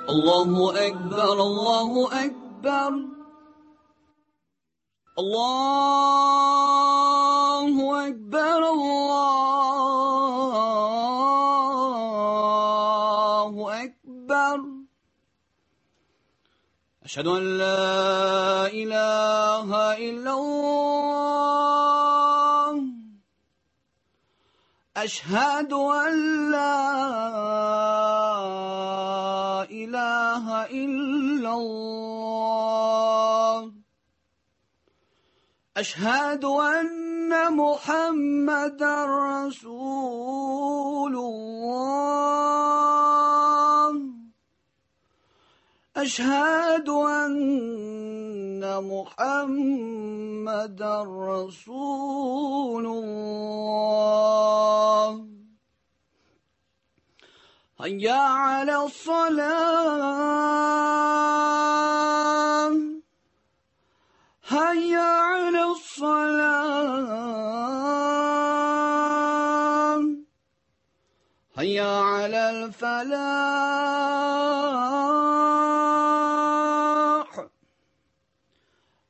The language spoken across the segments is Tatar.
الله أكبر الله أكبر الله أكبر الله أكبر أشهد أن لا إله إلا الله أشهد أن لا إله إلا الله أشهد أن محمدا رسول الله أشهد أن محمدا رسول الله هيا على الصلاة هيا على الصلاة هيا على الفلاح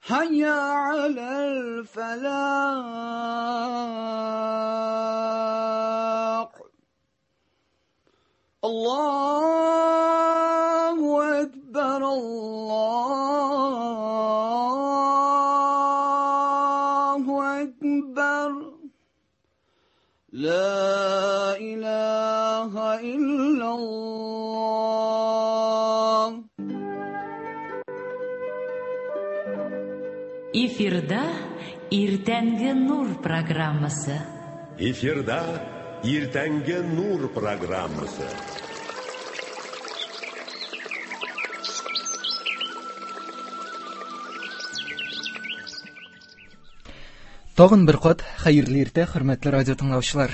هيا على الفلاح الله أكبر الله أكبر لا إله إلا الله. Эфирда Иртәнге нур программасы. Эфирда Иртәнге нур программасы. Тагын бер кат хәерле иртә, хөрмәтле радио тыңлаучылар.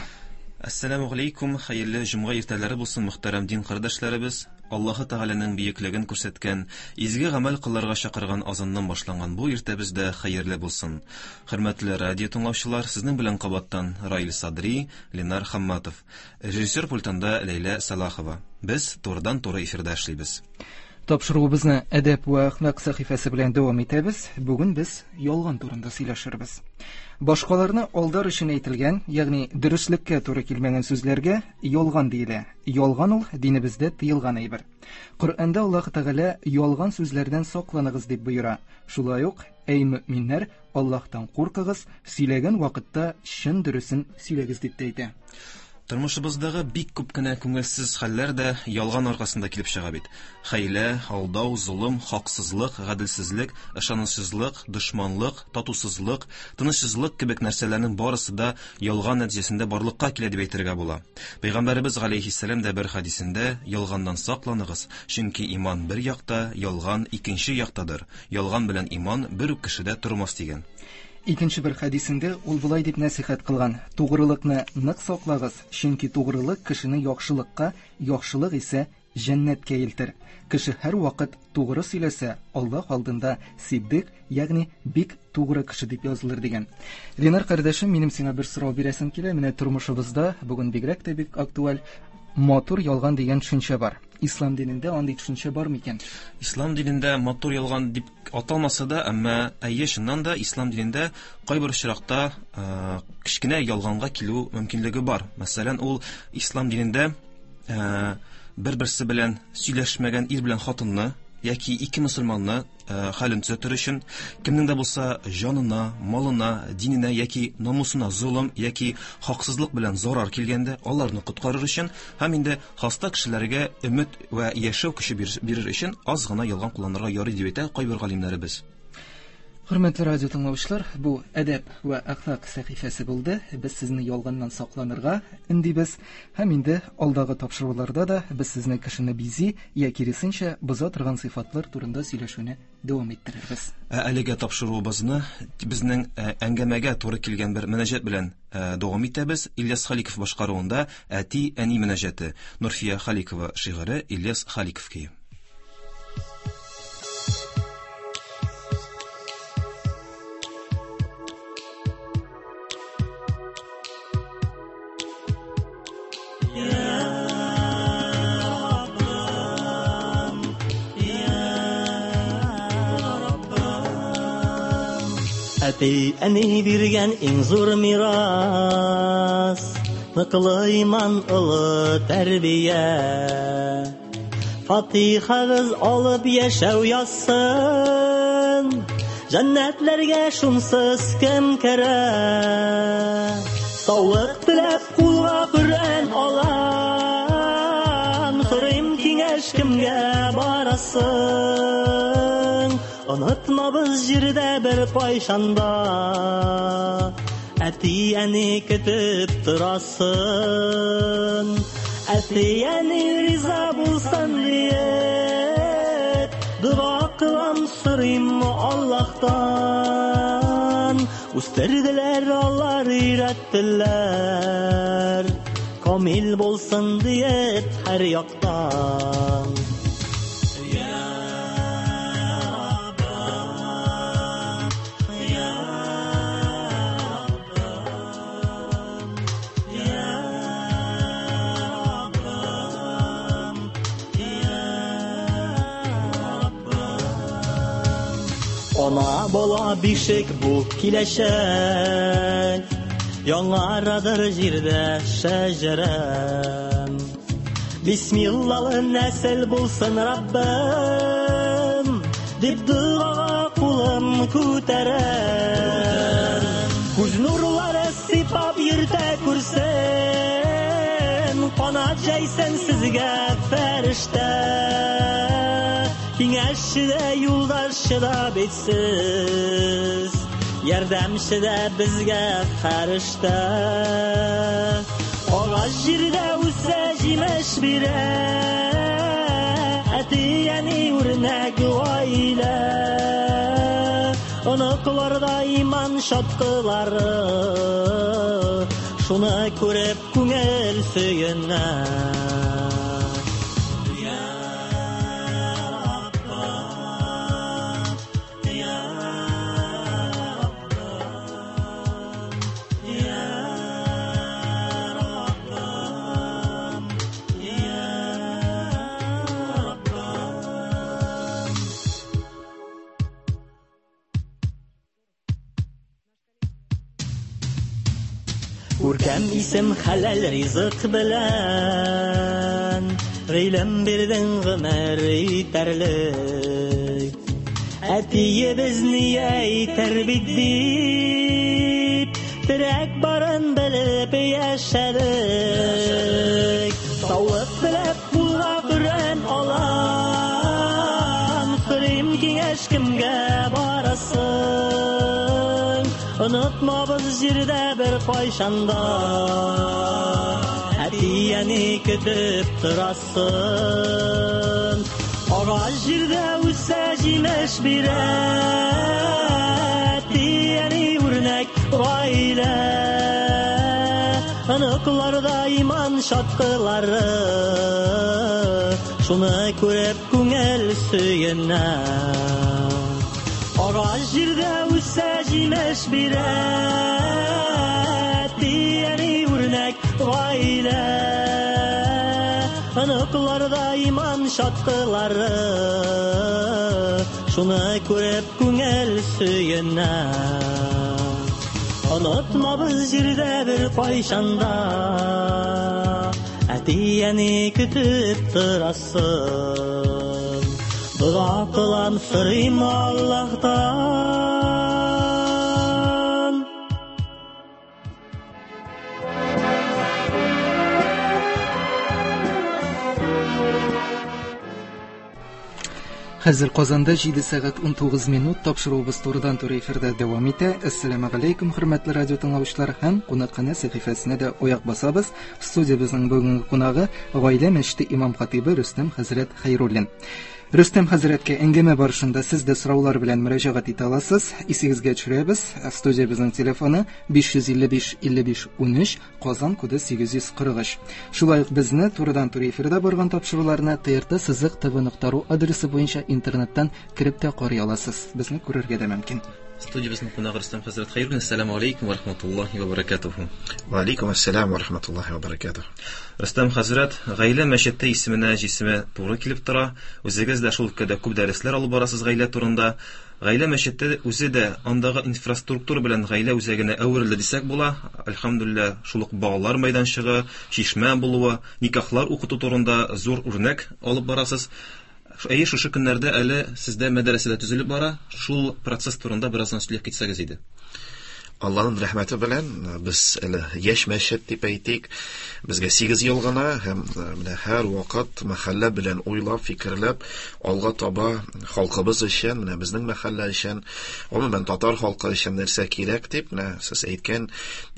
Әссәламү галәйкүм, хәерле җомга иртәләре булсын, мөхтәрәм дин кардәшләребез. Аллаһы Тәгаләнең бөеклеген күрсәткән, изге гамәл кылырга чакырган азаннан башланган бу иртәбез дә хәерле булсын. Хөрмәтле радио тыңлаучылар, сезнең белән кабаттан Раил Садри, Ленар Хамматов. Режиссер пультында Ләйлә Салахова. Без турыдан-туры эфирда эшлибез. Тапшыруыбызны әдәп вә әхлак сәхифәсе белән дәвам итәбез. Бүген без ялган турында сөйләшербез. Башкаларны алдар өчен әйтелгән, ягъни дөреслеккә туры килмәгән сүзләргә ялган диелә. Ялган ул динебездә тыелган әйбер. Коръәндә Аллаһ Тәгалә ялган сүзләрдән сакланыгыз дип боера. Шулай ук, әй мөэминнәр, Аллаһтан куркыгыз, сөйләгән вакытта чын дөресен сөйләгез дип тә әйтә. Тормышыбыздагы бик күп кенә күңелсез хәлләр дә ялган аркасында килеп чыга бит. Хәйлә, алдау, золым, хаксызлык, гаделсезлек, ышанычсызлык, дошманлык, татусызлык, тынычсызлык кебек нәрсәләрнең барысы да ялган нәтиҗәсендә барлыкка килә дип әйтергә була. Пәйгамбәребез галәйһиссәлам дә бер хәдисендә ялганнан сакланыгыз, чөнки иман бер якта, ялган икенче яктадыр. Ялган белән иман бер үк кешедә тормас дигән. Икенче бер хәдисендә ул болай дип нәсихәт кылган: "Тугрылыкны нык саклагыз, чөнки тугрылык кешене яхшылыкка, яхшылык исә җәннәткә илтер. Кеше һәр вакыт тугры сөйләсә, Аллаһ алдында сиддик, ягъни бик тугры кеше дип язылыр дигән. Ленар кардәшем, минем сиңа бер сорау бирәсем килә. Менә тормышыбызда бүген бигрәк тә бик актуаль матур ялган дигән төшенчә бар. Ислам динендә андый төшенчә бар микән? Ислам динендә матур ялган дип аталмаса да, әмма әйе, чыннан да ислам динендә кайбер очракта кечкенә ялганга килү мөмкинлеге бар. Мәсәлән, ул ислам динендә бер-берсе белән сөйләшмәгән ир белән хатынны яки ике мөселманны хәлен төзәтер өчен кемнең дә булса җанына, малына, диненә яки намусына золым яки хаксызлык белән зарар килгәндә аларны коткарыр өчен һәм инде хаста кешеләргә өмет вә яшәү көче бирер өчен аз гына ялган кулланырга ярый дип әйтә кайбер галимнәребез. Хөрмәтле радио тыңлаучылар, бу әдәп вә әхлак сәхифәсе булды. Без сезне ялганнан сакланырга өндибез һәм инде алдагы тапшыруларда да без сезне кешене бизи я киресенчә боза торган сыйфатлар турында сөйләшүне дәвам иттерербез. Ә әлегә тапшыруыбызны безнең әңгәмәгә туры килгән бер мөнәҗәт белән дәвам итәбез. Ильяс Халиков башкаруында Әти-әни мөнәҗәте, Нурфия Халикова шигыре, Ильяс Халиков көе. Ya Rabbim, Әти әни биргән иң зур мирас, ныклы иман, олы тәрбия. Фатихагыз алып яшәү язсын, җәннәтләргә шунсыз кем керә? Саулык теләп кулга Коръән алам, сорыйм киңәш кемгә барасың? Онытмабыз җирдә бер кайчанда, әти-әни көтеп торасын. Әти-әни риза булсын диеп, дога кылам, сорыйм Аллаһтан. Үстерделәр алар, өйрәттеләр, камил булсын диеп һәр яктан. Ана бала бишек бу киләчәк, яңарадыр җирдә шәҗәрәм. Бисмиллалы нәсел булсын Раббым, дип догага кулым күтәрәм. Күз нурлары сыйпап йөртә күрсен, канат җәйсен сезгә фәрештә. Киңәшче дә, юлдашчы да бит сез, ярдәмче дә безгә фәрештә. Агач җирдә үсә, җимеш бирә, әти-әни үрнәк гаилә. Оныкларда иман чаткылары, шуны күреп күңел сөенә. Күркәм исем хәләл ризык белән, гыйлем бирдең гомер итәрлек. Әтиебез ни әйтер бит дип, терәк барын белеп яшәдек. Саулык теләп кулга Коръән алам, сорыйм киңәш кемгә барасың? Онытмабыз җирдә бер кайчанда, әти-әни көтеп торасын. Агач җирдә үсә, җимеш бирә, әти-әни үрнәк гаилә. Оныкларда иман чаткылары, шуны күреп күңел сөенә. Агач җирдә үсә, җимеш бирә, әти-әни үрнәк гаилә. Оныкларда иман чаткылары, шуны күреп күңел сөенә. Онытмабыз җирдә бер кайчанда, әти-әни көтеп торасын. Дога кылам, сорыйм Аллаһтан. Хәзер Казанда 7 сәгать 19 минут тапшыруыбыз турыдан туры эфирда дәвам итә. Әссәламу алейкум, хөрмәтле радио тыңлаучылар һәм кунакханә сәхифәсенә дә аяк басабыз. Студиябезнең бүгенге кунагы Гаилә мәчете имам хатибы Рөстәм хәзрәт Хәйруллин. Рөстәм хәзрәткә әңгәмә барышында сез дә сораулар белән мөрәҗәгать итә аласыз. Исегезгә төшерәбез, студиябезнең телефоны 555 55 13, Казан коды 843. Шулай ук безне турыдан-туры эфирда барган тапшыруларны TRT сызык tv.ru адресы буенча интернеттан кереп тә карый аласыз. Безне күрергә дә мөмкин. Студиябезнең кунагы Рөстәм хәзрәт Хәйруллин. Ассаламу алейкум ва рахматуллахи ва баракатуху. Ва алейкум ассалам ва рахматуллахи ва баракатуху. Рөстәм хәзрәт, гаилә мәчете исеменә җисеме туры килеп тора. Үзегез дә шул өлкәдә күп дәресләр алып барасыз гаилә турында. Гаилә мәчете үзе дә андагы инфраструктура белән гаилә үзәгенә әверелде дисәк була. Әлхәмдүлилләһ, шул ук балалар мәйданчыгы, чишмә булуы, никахлар укыту турында зур үрнәк алып барасыз. Әйе, шушы көннәрдә әле сездә мәдрәсә дә төзелеп бара. Шул процесс турында бераздан сөйләп китсәгез иде. Алланың рәхмәте белән без әле яшь мәчет дип әйтик. Безгә 8 ел гына һәм менә һәр вакыт мәхәллә белән уйлап, фикерләп алга таба халкыбыз өчен, менә безнең мәхәллә өчен, гомумән татар халкы өчен нәрсә кирәк дип, менә сез әйткән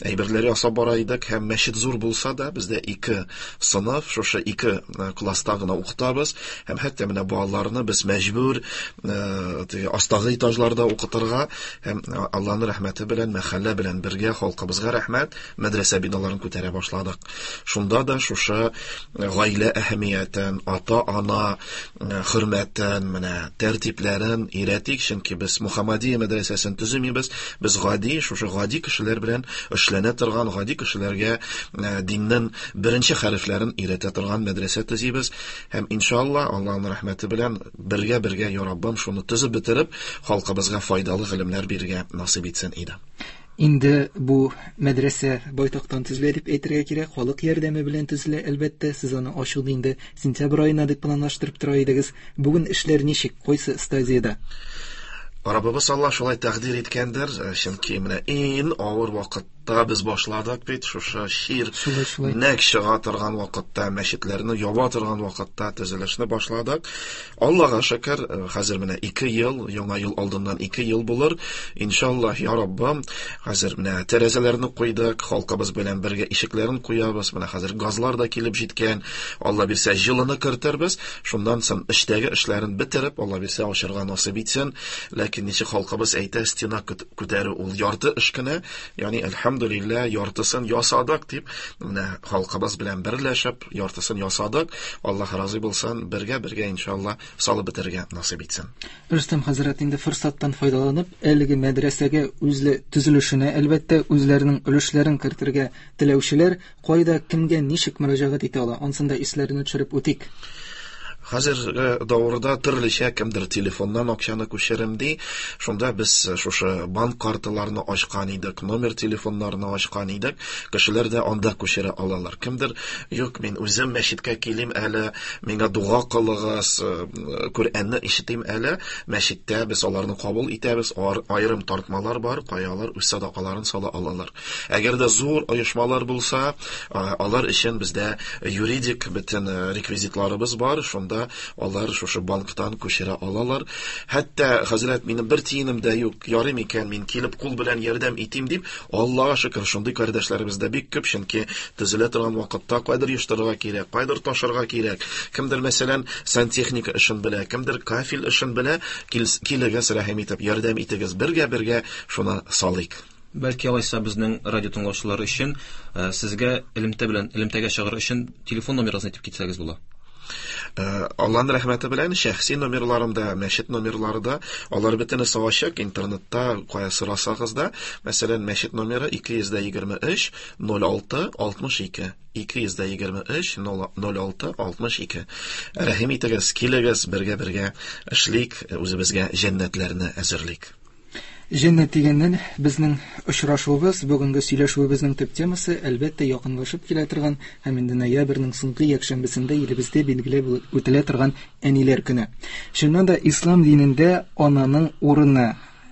әйберләр ясап бара идек һәм мәчет зур булса да, бездә ике сыныф, шушы ике класста гына укытабыз һәм хәтта менә балаларны без мәҗбүр теге астагы этажларда укытырга һәм Алланың рәхмәте белән мәхәллә белән бергә халкыбызга рәхмәт, мәдрәсә биналарын күтәрә башладык. Шунда да шушы гаилә әһәмиятен, ата-ана хөрмәтен, менә тәртипләрен өйрәтик, чөнки без Мухаммадия мәдрәсәсен төземибез, без гади, шушы гади кешеләр белән эшләнә торган, гади кешеләргә диннең беренче хәрефләрен өйрәтә торган мәдрәсә төзибез. Һәм иншалла, Аллаһның рәхмәте белән бергә-бергә, я Раббым, шуны төзеп бетереп, халкыбызга файдалы гыйлемнәр бирергә насыйп итсен иде. Инде бу мәдрәсә байтактан төзелә дип әйтергә кирәк, халык ярдәме белән төзелә, әлбәттә, сез аны ачуны инде сентябрь аена дип планлаштырып тора идегез. Бүген эшләр ничек, кайсы стадиядә? Раббыбыз Аллаһ шулай тәкъдир иткәндер, чөнки менә иң авыр вакыт та без башладык бит шушы чир нәк чыга торган вакытта, мәчетләрне яба торган вакытта төзелешне башладык. Аллага шөкер, хәзер менә 2 ел, яңа ел алдыннан 2 ел булыр. Иншаллаһ, я Раббым, хәзер менә тәрәзәләрне куйдык, халкыбыз белән бергә ишекләрен куябыз. Менә хәзер газлар да килеп җиткән. Алла бирсә, җылыны кертербез. Шуннан соң эчтәге эшләрен бетереп, Алла бирсә, ачырга насыйп итсен. Ләкин ничек халкыбыз әйтә, стена күтәрү ул ярты эш кенә. Ягъни, әлхәмдүлилләһ, яртысын ясадык дип, менә халкыбыз белән берләшеп, яртысын ясадык. Аллаһ разый булсын, бергә-бергә иншалла салып бетерергә насыйп итсен. Рөстәм хәзрәт, инде форсаттан файдаланып, әлеге мәдрәсәгә үзле төзелешенә, әлбәттә, үзләренең өлешләрен кертергә теләүчеләр кайда, кемгә, ничек мөрәҗәгать итә ала? Ансын да исләренә төшереп үтик. Хәзерге давырда төрлечә кемдер телефоннан акчаны күчерем ди. Шунда без шушы банк карталарны ачкан идек, номер телефоннарны ачкан идек. Кешеләр дә анда күчерә алалар. Кемдер, юк, мин үзем мәчеткә килим әле, миңа дога кылыгыз, Коръәнне ишетим әле. Мәчеттә без аларны кабул итәбез. Аерым тартмалар бар, кая алар үз садакаларын сала алалар. Әгәр дә зур оешмалар булса, алар өчен бездә юридик бөтен реквизитларыбыз бар, шунда алар шушы банктан күчерә алалар. Хәтта, хәзрәт, минем бер тиенем дә юк, ярый микән, мин килеп кул белән ярдәм итим дип, Аллага шөкер, шундый кардәшләребез дә бик күп, чөнки төзелә торган вакытта кайдыр оештырырга кирәк, кайдыр ташырга кирәк. Кемдер, мәсәлән, сантехника эшен белә, кемдер кафель эшен белә, килегез, рәхим итеп, ярдәм итегез, бергә-бергә шуны салыйк. Бәлки алайса безнең радио тыңлаучылар өчен сезгә элемтә белән элемтәгә чыгыр өчен телефон номерыгызны әйтеп китсәгез була. Аллаһның рәхмәте белән шәхси номерларым да, мәчет номерлары да, алар бөтенесе ачык, интернетта кая сорасагыз да, мәсәлән, мәчет номеры 223 06 62. 223 06 62. Рәхим итегез, килегез, бергә-бергә эшлик, үзебезгә җәннәтләрне әзерлик. Җәннәт дигәннән, безнең очрашуыбыз, бүгенге сөйләшүебезнең төп темасы, әлбәттә, якынлашып килә торган һәм инде ноябрьнең соңгы якшәмбесендә илебездә билгеләп үтелә торган Әниләр көне. Чыннан да, ислам динендә ананың урыны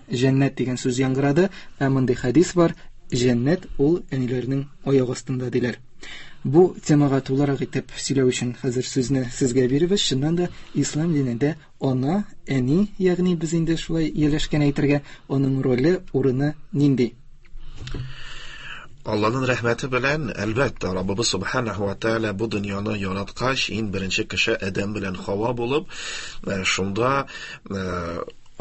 җәннәт дигән сүз яңгырады, ә мондый хәдис бар, җәннәт ул әниләрнең аяк астында диләр. Бу темага тулырак итеп сөйләү өчен хәзер сүзне сезгә биребез. Чыннан да, ислам динендә ана, әни, ягъни без инде шулай ияләшкән әйтергә, аның роле, урыны нинди? Алланың рәхмәте белән, әлбәттә, Раббыбыз Субханаһу ва Тааля бу дөньяны яраткач, иң беренче кеше Адәм белән Хава булып, шунда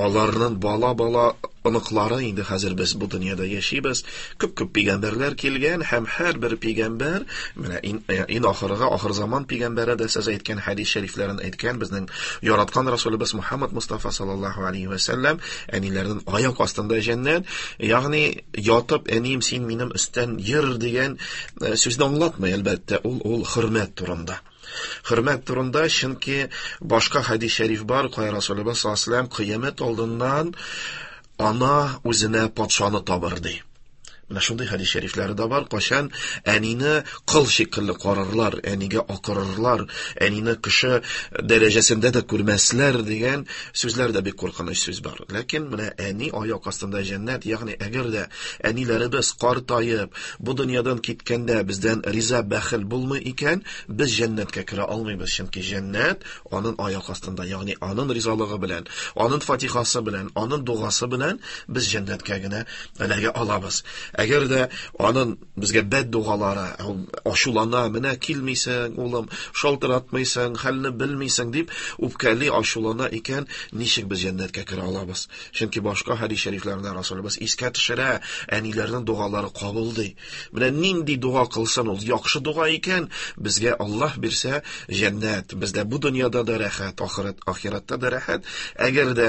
Аларның бала-бала оныклары инде хәзер без бу дөньяда яшибез. Күп-күп пәйгамбәрләр килгән һәм һәрбер пәйгамбәр, менә иң ахыргы, ахыр заман пәйгамбәре дә сез әйткән хәдис шәрифләрен әйткән, безнең яраткан Расулыбыз Мухаммад Мустафа саллаллаһу алейхи ва сәлләм, әниләрнең аяк астында җәннәт, ягъни ятып әнием син минем өстән йөр дигән сүзне аңлатмый, әлбәттә, ул хөрмәт турында. Хөрмәт турында, чөнки башка хәдис шәриф бар, кая Расулыбыз саллаллаһу алейһи ва сәлләм кыямәт алдыннан ана үзенә патшаны табыр ди. Менә шундый хәдис шәрифләре дә бар, кайчан әнине кол шикелле карарлар, әнигә акырырлар, әнине кеше дәрәҗәсендә дә күрмәсләр дигән сүзләр дә бик куркыныч сүз бар. Ләкин менә әни аяк астында җәннәт, ягъни әгәр дә әниләребез картаеп, бу дөньядан киткәндә бездән риза бәхил булмый икән, без җәннәткә керә алмыйбыз, чөнки җәннәт аның аяк астында, ягъни аның ризалыгы белән, аның фатихасы белән, аның дугасы белән без җәннәткә генә эләгә алабыз. Әгәр дә аның безгә бәддугалары, ачулана, менә килмисең, улым, шалтыратмыйсың, хәлне белмисең дип үпкәли, ачулана икән, ничек без җәннәткә керә алабыз? Чөнки башка хәдис шәрифләрендә Расулыбыз искә төшерә, әниләрнең дугалары кабул ди. Менә нинди дуга кылсын ул, яхшы дуга икән, безгә Аллаһ бирсә җәннәт, бездә бу дөньяда да рәхәт, ахирәттә дә рәхәт. Әгәр дә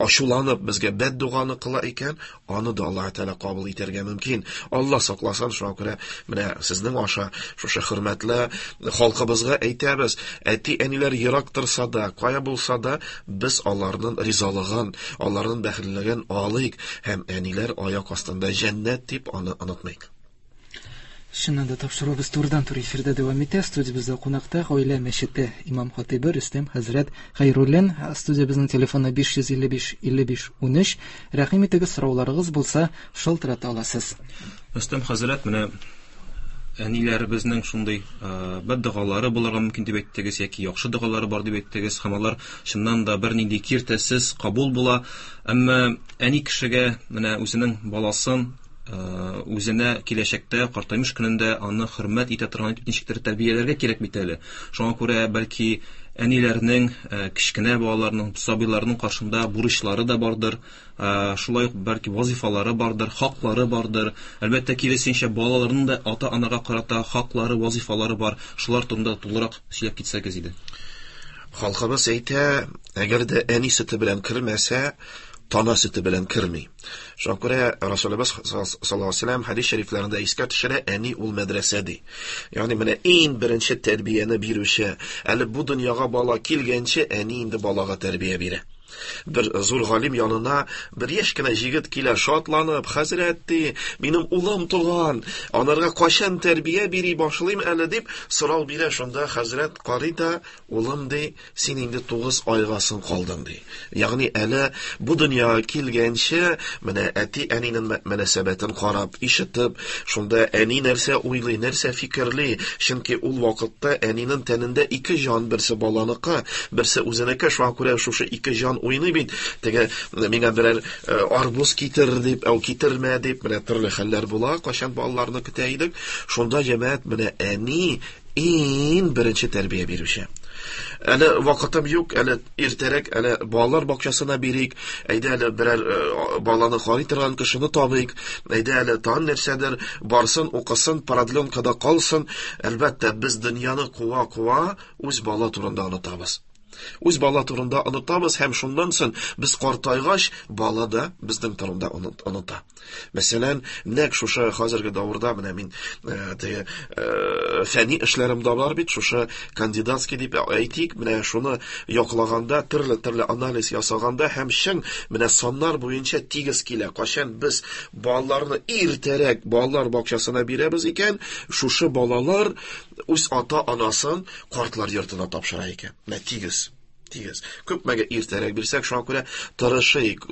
ачуланып безгә бәддуганы кыла икән, аны да Аллаһ Тәгалә кабул итәргә мөмкин. Аллаһ сакласын, шуңа күрә менә сезнең аша шушы хөрмәтле халкыбызга әйтәбез, әти-әниләр ерак торса да, кая булса да, без аларның ризалыгын, аларның бәхетлелеген алыйк һәм әниләр аяк астында җәннәт дип аны онытмыйк. Чыннан да тапшыруыбыз турыдан-туры эфирда дәвам итә. Студиябездә кунакта Гаилә мәчете имам хатыйбы Рөстәм хәзрәт Хәйруллин. Студиябезнең телефоны 555 55 13. Рәхим итегез, сорауларыгыз булса, шалтырата аласыз. Рөстәм хәзрәт, менә әниләребезнең шундый бәддогалары булырга мөмкин дип әйттегез, яки яхшы догалары бар дип әйттегез, һәм алар чыннан да бернинди киртәсез кабул була. Әмма әни кешегә менә үзенең баласын үзенә киләчәктә картаймыш көнендә аны хөрмәт итә торган итеп ничектер тәрбияләргә кирәк бит әле. Шуңа күрә бәлки әниләрнең, кечкенә балаларның, сабыйларның каршында бурычлары да бардыр, шулай ук бәлки вазифалары бардыр, хаклары бардыр. Әлбәттә, киресенчә, балаларның да ата-анага карата хаклары, вазифалары бар. Шулар турында тулырак сөйләп китсәгез иде. Халкыбыз әйтә, әгәр дә әни сөте белән кермәсә, тана сөте белән керми. Шуңа күрә Расулыбыз саллаллаһу алейһи ва сәлләм хәдис шәрифләрендә искә төшерә, әни ул мәдрәсә ди. Ягъни менә иң беренче тәрбияне бирүче, әле бу дөньяга бала килгәнче әни инде балага тәрбия бирә. Бер зур галим янына бер яшь кенә җегет килә, шатланып, хәзрәт ди, минем улым туган, анарга кайчан тәрбия бери башлыйм әле дип сорау бирә. Шунда хәзрәт карый да, улым ди, син инде 9 айга соң калдың ди. Ягъни әле бу дөньяга килгәнче менә әти-әнинең мөнәсәбәтен карап, ишетеп, шунда әни нәрсә уйлый, нәрсә фикерли, чөнки ул вакытта әнинең тәнендә ике җан, берсе баланыкы, берсе үзенеке, шуңа күрә шушы ике җан уйный бит. Теге миңа берәр арбуз китер дип, әү китермә дип, менә төрле хәлләр була, кайчан балаларны көтә идек. Шунда җәмәгать менә әни иң беренче тәрбия бирүче. Әле вакытым юк, әле иртәрәк, әле балалар бакчасына бирик, әйдә әле берәр баланы карый торган кешене табыйк, әйдә әле тагын нәрсәдер барсын, укысын, продленкада калсын. Әлбәттә, без дөньяны куа-куа үз бала турында онытабыз. Үз бала турында онытабыз һәм шуннан соң без картайгач, бала да безнең турында оныта. Мәсәлән, нәкъ шушы хәзерге дәвердә менә мин теге фәнни эшләрем дә бар бит, шушы кандидатский дип әйтик, менә шуны яклаганда, төрле-төрле анализ ясаганда һәм чын менә саннар буенча тигез килә. Кайчан без балаларны иртәрәк балалар бакчасына бирәбез икән, шушы балалар үз ата-анасын картлар йортына тапшыра икән. Менә тигез. Тигез. Күпмегә иртәрәк бирсәк, шуңа күрә тырышыйк,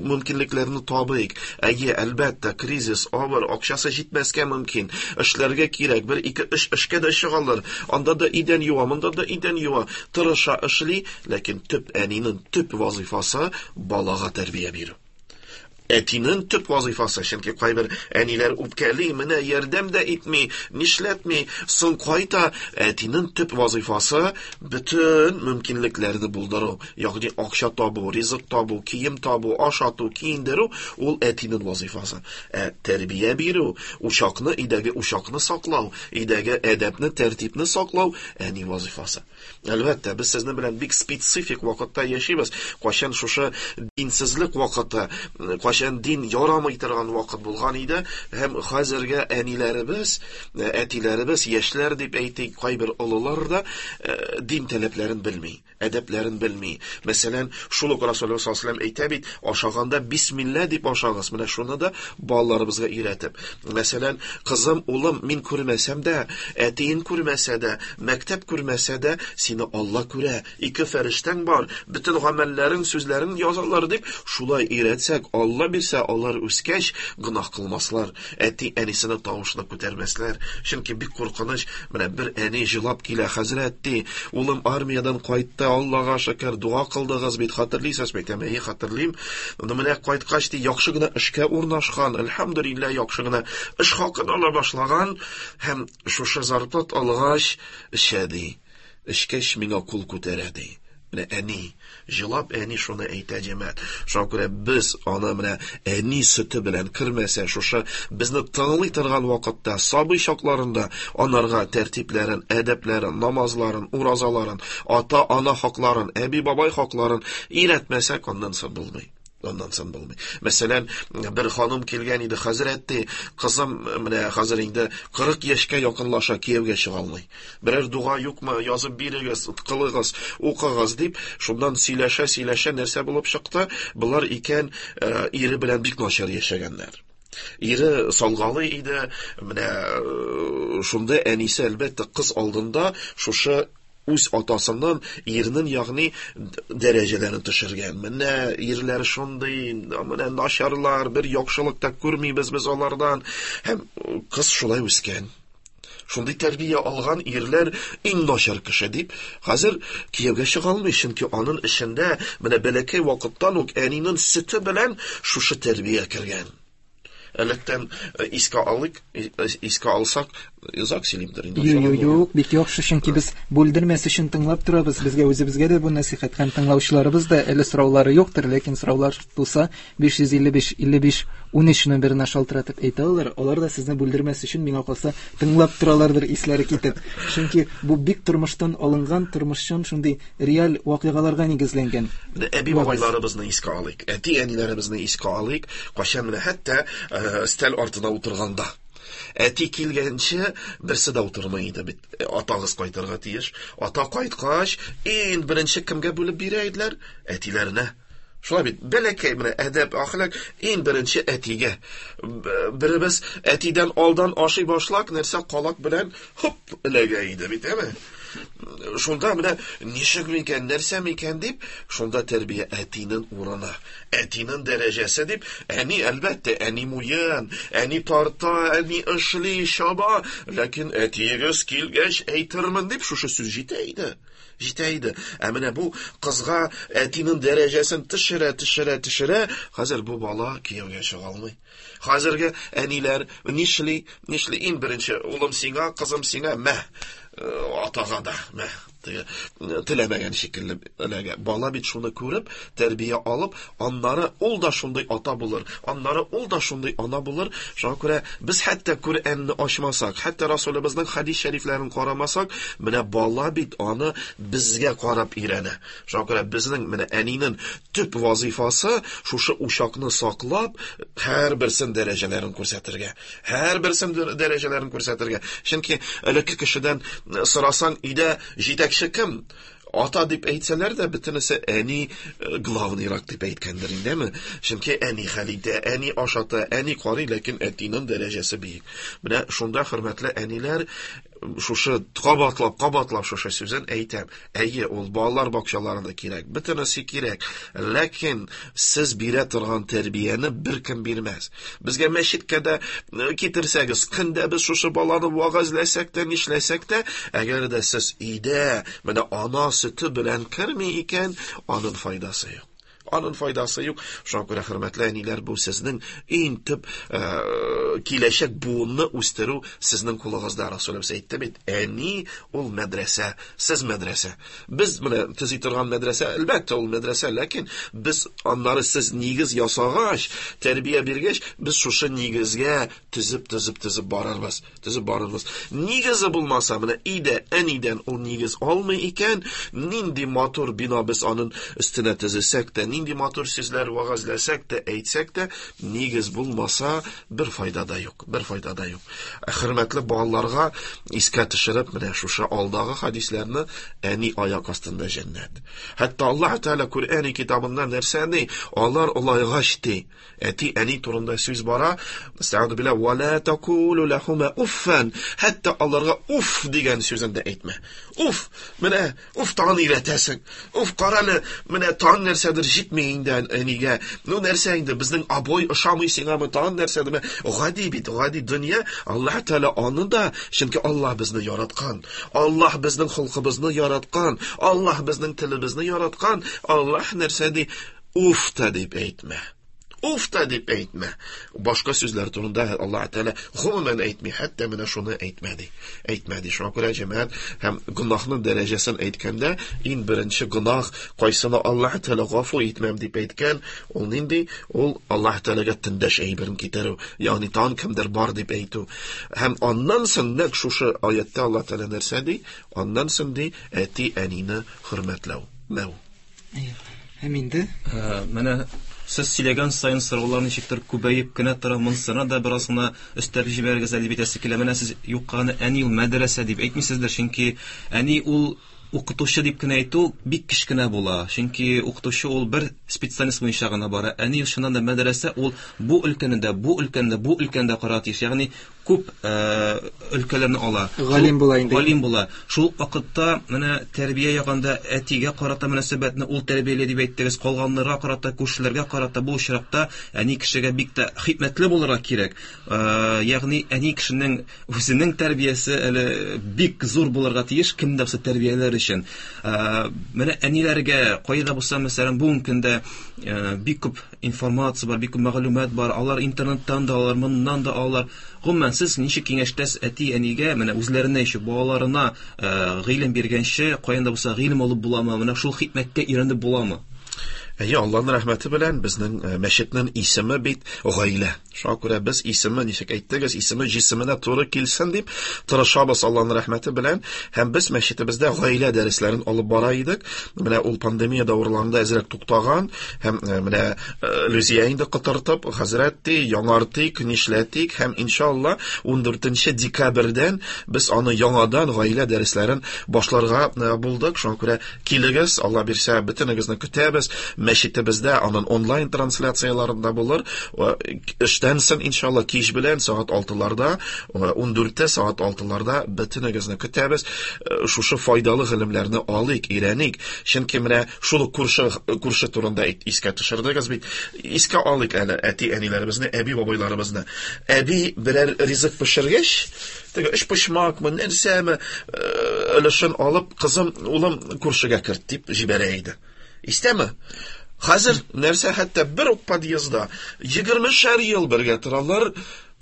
мөмкинлекләрне табыйк. Әйе, әлбәттә, кризис авыр, акчасы җитмәскә мөмкин. Эшләргә кирәк, бер, ике, өч эшкә дә чыгалар. Анда да идән юа, монда да идән юа. Тырыша, эшли, ләкин төп әнинең төп вазифасы балага тәрбия бирү. Әтинең төп вазифасы, чөнки кайбер әниләр үпкәли, менә ярдәм дә итми, нишләтми, соң кайта. Әтинең төп вазифасы бөтен мөмкинлекләрне булдыру, ягъни акча табу, ризык табу, кием табу, ашату, киендерү ул әтинең вазифасы. Ә тәрбия бирү, учакны, өйдәге учакны саклау, өйдәге әдәпне, тәртипне саклау әни вазифасы. Әлбәттә, без сезнең белән бик специфик вакытта яшибез. Кайчан шушы динсезлек вакыты, кайчан дин ярамый торган вакыт булган иде, һәм хәзерге әниләребез, әтиләребез, яшьләр дип әйтик, кайбер олылар да дин таләпләрен белми, әдәпләрен белми. Мәсәлән, шул ук Расулуллаһ саллаллаһу алейһи ва әйтә бит, ашаганда бисмилла дип ашагыз. Менә шуны да балаларыбызга өйрәтеп. Мәсәлән, кызым, улым, мин күрмәсәм дә, әтиең күрмәсә дә, мәктәп күрмәсә дә, сине Алла күрә. Ике фәрештәң бар, бөтен гамәлләрең, сүзләрең язалар дип, шулай өйрәтсәк, Алла бирсә, алар үскәч гөнаһ кылмаслар, әти әнисенең тавышын күтәрмәсләр. Чөнки бик куркыныч. Менә бер әни җылап килә, хәзрәт ди, улым армиядән кайтты, Аллага шөкер, дуа кылдыгыз бит, хәтерлисез бит? Әйе, хәтерлим. Ну менә кайткач ди, яхшы гына эшкә урнашкан, әлхәмдүлилләһ, яхшы гына эш хакын ала башлаган һәм шушы зарплат алгач эчә ди. Эчкәч миңа кул күтәрә ди. Менә әни, җылап әни шуны әйтә, җәмәгать. Шуңа күрә без аны менә әни сөте белән кермәсә, шушы безне тыңлый торган вакытта, сабый чакларында анарга тәртипләрен, әдәпләрен, намазларын, уразаларын, ата-ана хакларын, әби-бабай хакларын өйрәтмәсәк, аннан соң булмый. Аннан соң булмый. Мәсәлән, бер ханым килгән иде, хәзрәт ди, кызым менә хәзер инде 40 яшькә якынлаша, кияүгә чыга алмый. Берәр дуга юкмы, язып бирегез, кылыгыз, укыгыз дип, шуннан сөйләшә-сөйләшә нәрсә булып чыкты? Болар икән ире белән бик начар яшәгәннәр. Ире салгалый иде, менә шунда әнисе әлбәттә кыз алдында шушы үз атасыннан ирнең, ягъни дәрәҗәләрен төшергән. Менә ирләр шундый, менә начарлар, бер яхшылык та күрмибез без алардан. Һәм кыз шулай үскән. Шундый тәрбия алган ирләр иң начар кеше дип, хәзер кияүгә чыга алмый, чөнки аның эчендә менә бәләкәй вакыттан ук әнинең сөте белән шушы тәрбия кергән. Электән искә алыйк, искә алсак, озак сөйлимдер инде. Юк, юк, бик яхшы, чөнки без бүлдермәс өчен тыңлап торабыз. Безгә үзебезгә дә бу нәсыйхәт һәм тыңлаучыларыбыз да әле сораулары юктыр, ләкин сораулар туса 555 55 13 номерына шалтыратып әйтә алалар. Алар да сезне бүлдермәс өчен миңа калса тыңлап торалардыр исләре китеп. Чөнки бу бик тормыштан алынган, тормышчан шундый реаль вакыйгаларга нигезләнгән. Әби бабайларыбызны искә алыйк, әти әниләребезне искә алыйк. Кайчан менә хәтта өстәл артына утырганда әти килгәнче берсе дә утырмый иде бит. Атагыз кайтырга тиеш. Ата кайткач, иң беренче кемгә бүлеп бирә иделәр? Әтиләренә. Шулай бит, бәләкәй менә әдәп, әхлак иң беренче әтигә. Беребез әтидән алдан ашый башлак, нәрсә калак белән хоп эләгә иде бит, әме? Шунда менә ничек микән, нәрсә микән дип, шунда тәрбия әтинең урыны, әтинең дәрәҗәсе дип, әни әлбәттә, әни муен, әни тарта, әни эшли, чаба, ләкин әтиегез килгәч әйтермен дип шушы сүз җитә иде. Җитә иде. Ә менә бу кызга әтинең дәрәҗәсен төшерә, төшерә, төшерә, хәзер бу бала кияүгә чыга алмый. Хәзерге әниләр нишли? Нишли? Иң беренче улым сиңа, кызым сиңа, мә, атага да, мә. Теләмәгән шикелле эләгә. Бала бит шуны күреп, тәрбия алып, аннары ул да шундый ата булыр, аннары ул да шундый ана булыр. Шуңа күрә без хәтта Коръәнне ачмасак, хәтта Расулыбызның хадис шәрифләрен карамасак, менә бала бит аны безгә карап өйрәнә. Шуңа күрә безнең менә әнинең төп вазифасы шушы учакны саклап, һәрберсен дәрәҗәләрен күрсәтергә. Һәрберсен дәрәҗәләрен күрсәтергә. Чөнки элекке кешедән сорасаң, өйдә җитәкче кем? Ата дип әйтсәләр дә, бөтенесе әни главныйрак дип әйткәндер индеме? Чөнки әни хәл итә, әни ашата, әни карый, ләкин әтинең дәрәҗәсе биек. Менә шунда, хөрмәтле әниләр, шушы кабатлап, кабатлап шушы сүзен әйтәм. Әйе, ул балалар бакчаларында кирәк, бөтенесе кирәк. Ләкин сез бирә торган тәрбияне беркем бирмәс. Безгә мәчеткә дә китерсәгез, көндә без шушы баланы вәгазьләсәк тә, нишләсәк тә, әгәр дә сез өйдә менә ана сөте белән керми икән, аның файдасы юк. Аның файдасы юк. Шуңа күрә, хөрмәтле әниләр, бу сезнең иң төп киләчәк буынны үстерү сезнең кулыгызда. Расулыбыз әйтте бит, әни ул мәдрәсә, сез мәдрәсә. Без менә төзи торган мәдрәсә, әлбәттә, ул мәдрәсә, ләкин без аннары сез нигез ясагач, тәрбия биргәч, без шушы нигезгә төзеп, төзеп, төзеп барырбыз, төзеп барырбыз. Нигезе булмаса, менә өйдә әнидән ул нигез алмый икән, нинди матур бина без аның өстенә төзесәк тә, нинди матур сүзләр вәгазьләсәк тә, әйтсәк тә, нигез булмаса, бер файда да юк, бер файда да юк. Хөрмәтле балаларга искә төшереп, менә шушы алдагы хадисләрне, әни аяк астында җәннәт. Хәтта Аллаһ Тәгалә Коръәни китабында нәрсә ди? Алар олайгач ди. Әти әни турында сүз бара. Әстәгъфиру билла ва ла такулу лахума уффан. Хәтта аларга уф дигән сүзен дә әйтмә. Уф, менә уф тагын өйрәтәсең. Уф, карале, менә тагын нәрсәдер җитми инде әнигә. Ну нәрсә инде, безнең обой ошамый сиңамы, тагын нәрсәдер. Гади бит, гади дөнья. Аллаһ Тәгалә аны да, чөнки Аллаһ безне яраткан. Аллаһ безнең холкыбызны яраткан. Аллаһ безнең телебезне яраткан. Аллаһ нәрсә ди? Уф та дип әйтмә. Уф та дип әйтмә. Башка сүзләр турында Аллаһ Тәгалә гомумән әйтми, хәтта менә шуны әйтмә ди. Әйтмә ди. Шуңа күрә җәмәгать һәм гөнаһның дәрәҗәсен әйткәндә, иң беренче гөнаһ, кайсына Аллаһ Тәгалә гафу итмәм дип әйткән, ул нинди? Ул Аллаһ Тәгаләгә тиңдәш әйберен китерү, ягъни тагын кемдер бар дип әйтү. Һәм аннан соң нәкъ шушы аятта Аллаһ Тәгалә нәрсә ди? Аннан соң ди, әти-әнине хөрмәтләү. Мәү. Һәм инде менә сез сөйләгән саен сораулар ничектер күбәеп кенә тора. Монысына да бераз гына өстәп җибәрегез әле бит әсе килә. Менә сез юкка гына әни ул мәдрәсә дип әйтмисездер, чөнки әни ул укытучы дип кенә әйтү бик кечкенә була. Чөнки укытучы ул бер специальность буенча гына бара. Әни чыннан да мәдрәсә ул бу өлкәне дә, бу өлкәне дә, бу өлкәне дә карарга тиеш. Ягъни күп өлкәләрне ала. Галим була инде. Галим була. Шул вакытта менә тәрбия ягында әтигә карата мөнәсәбәтне ул тәрбияли дип әйттегез, калганнарга карата, күршеләргә карата бу очракта әни кешегә бик тә хикмәтле булырга кирәк. Ягъни әни кешенең үзенең тәрбиясе әле бик зур булырга тиеш, кем дә булса тәрбияләр өчен. Менә әниләргә кайда булса, мәсәлән, бүгенге көндә бик күп информация бар, бик күп мәгълүмат бар. Алар интернеттан да алар, моннан да алар. Гомумән, сез ничек киңәштәсез әти-әнигә, менә үзләренә еще балаларына гыйлем биргәнче, каян да булса гыйлем алып буламы? Менә шул хикмәткә өйрәнеп буламы? Әйе, Аллаһның рәхмәте белән безнең мәчетнең исеме бит гаилә. Шуңа күрә без исеме, ничек әйттегез, исеме җисеменә туры килсен дип тырышабыз Аллаһның рәхмәте белән. Һәм без мәчетебездә гаилә дәресләрен алып бара идек. Менә ул пандемия дәверларында әзрәк туктаган һәм менә Люзия инде котыртып, хәзрәт ди, яңартыйк, нишләтик һәм иншалла 14 декабрьдән без аны яңадан гаилә дәресләрен башларга булдык. Шуңа күрә килегез, Алла бирсә, бөтенегезне көтәбез. Мәчетебездә аның онлайн трансляцияләрендә булыр. Эштән соң иншалла кич белән сәгать 6-ларда, 14-тә сәгать 6-ларда бөтенегезне көтәбез. Шушы файдалы гыйлемнәрне алыйк, өйрәник. Чөнки менә шул күрше турында искә төшердегез бит. Искә алыйк әле әти-әниләребезне, әби-бабайларыбызны. Әби берәр ризык пешергәч, теге өч почмакмы, нәрсәме, өлешен алып, кызым, улым күршегә керт дип җибәрә иде. Истәме? Хәзер нәрсә, хәтта бер үк подъездда 20 ел бергә торалар,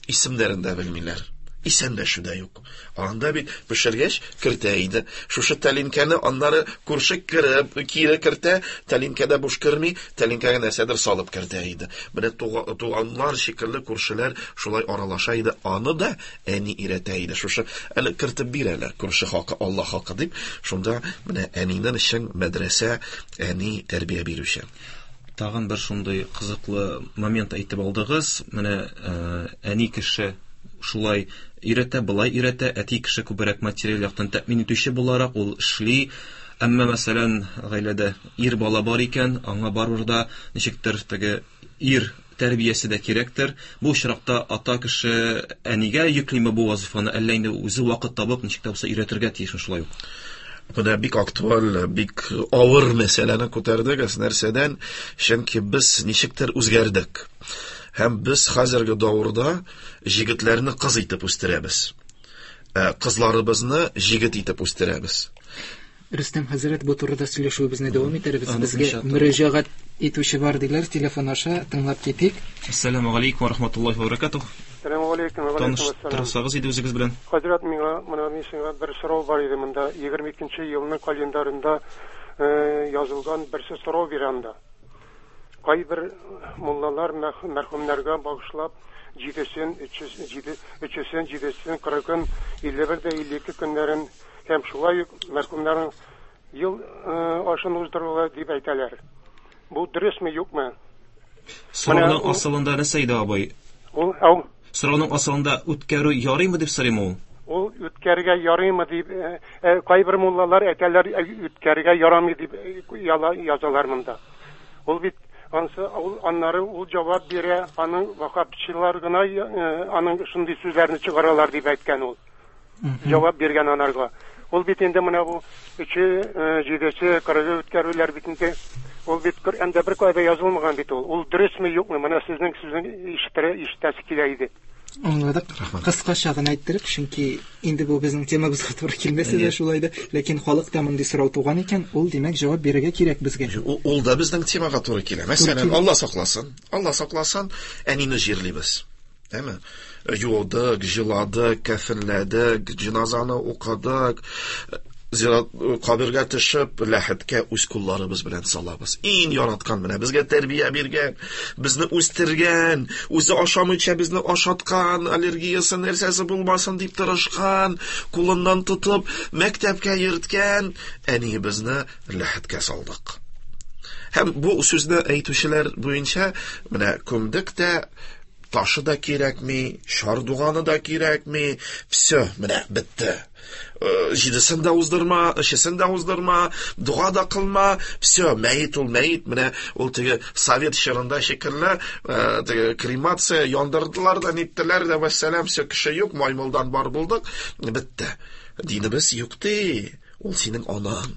исемнәрен дә белмиләр. Исәнләшү дә юк. Анда бит пешергәч кертә иде. Шушы тәлинкәне аннары күрше кереп, кире кертә, тәлинкәдә буш керми, тәлинкәгә нәрсәдер салып кертә иде. Менә туганнар шикелле күршеләр шулай аралаша иде. Аны да әни өйрәтә иде. Шушы әле кертеп бир әле, күрше хакы, Алла хакы дип. Шунда менә әнинең өчен мәдрәсә, әни тәрбия бирүче. Тагын бер шундый кызыклы момент әйтеп алдыгыз. Менә әни кеше шулай өйрәтә, былай өйрәтә, әти кеше күбрәк материаль яктан тәэмин итүче буларак ул эшли. Әмма, мәсәлән, гаиләдә ир бала бар икән, аңа барыбер да ничектер теге ир тәрбиясе дә кирәктер. Бу очракта ата кеше әнигә йөклиме бу вазифаны, әллә инде үзе вакыт табып ничек тә булса өйрәтергә тиешме шулай ук? Менә бик актуаль, бик авыр мәсьәләне күтәрдегез. Нәрсәдән? Чөнки без ничектер үзгәрдек. Һәм без хәзерге дәвердә җегетләрне кыз итеп үстерәбез. Кызларыбызны җегет итеп үстерәбез. Рөстәм хәзрәт, бу турыда сөйләшүебезне дәвам итәрбез. Аны Безгә иншалла. мөрәҗәгать итүче бар диләр, телефон аша тыңлап китик. Әссәламу алейкум ва рахматуллахи ва баракатух. Сәлам алейкум, ва алейкум ассалам. Таныштырсагыз иде үзегез белән. Хәзрәт, миңа менә мин сиңа бер сорау бар иде монда. 22 елның календарында язылган берсе сорау бирә анда. Кайбер муллалар мәрхүмнәргә багышлап җидесен, өчесен, җидесен, кырыгын, 51 дә 52 көннәрен һәм шулай ук мәрхүмнәрнең ел ашын уздырыла дип әйтәләр. Бу дөресме, юкмы? Сорауның асылында нәрсә иде, абый? Ул, ау. Сорауның асылында үткәрү ярыймы дип сорыйм ул? Ул үткәрергә ярыймы дип, кайбер муллалар әйтәләр, үткәрергә ярамый дип язалар монда. Ул бит ансы, ул аннары ул җавап бирә, аның ваххабчылар гына аның шундый сүзләрне чыгаралар дип әйткән ул. Җавап биргән анарга. Ул бит инде менә бу өче, җидесе, кырыгы үткәрүләр бит инде. Ул бит Коръәндә бер кайда язылмаган бит ул. Ул дөресме, юкмы? Менә сезнең сүзен ишетәсе килә иде. Аңладык. Кыскача гына әйттерик, чөнки инде бу безнең темабызга туры килмәсә дә шулай да, ләкин халыкта мондый сорау туган икән, ул димәк җавап бирергә кирәк безгә. Ул да безнең темага туры килә. Мәсәлән, Алла сакласын, Алла сакласын, әнине җирлибез. Әме? Юдык, җыладык, кәфенләдек, җеназаны укыдык, зират кабергә төшеп, ләхеткә үз кулларыбыз белән салабыз. Иң яраткан менә безгә тәрбия биргән, безне үстергән, үзе ашамыйча безне ашаткан, аллергиясе нәрсәсе булмасын дип тырышкан, кулыннан тотып мәктәпкә йөрткән әниебезне ләхеткә салдык. Һәм бу сүзне әйтүчеләр буенча менә күмдек тә, ташы да кирәкми, шардуганы да кирәкми, все, менә бетте. Җидесен дә уздырма, өчесен дә уздырма, дога да кылма, все, мәет ул мәет, менә ул теге совет чорында шикелле, теге кремация яндырдылар да, ниттеләр дә, вәссәлам, все, кеше юк, маймылдан бар булдык, бетте. Динебез юк ди, ул синең анаң.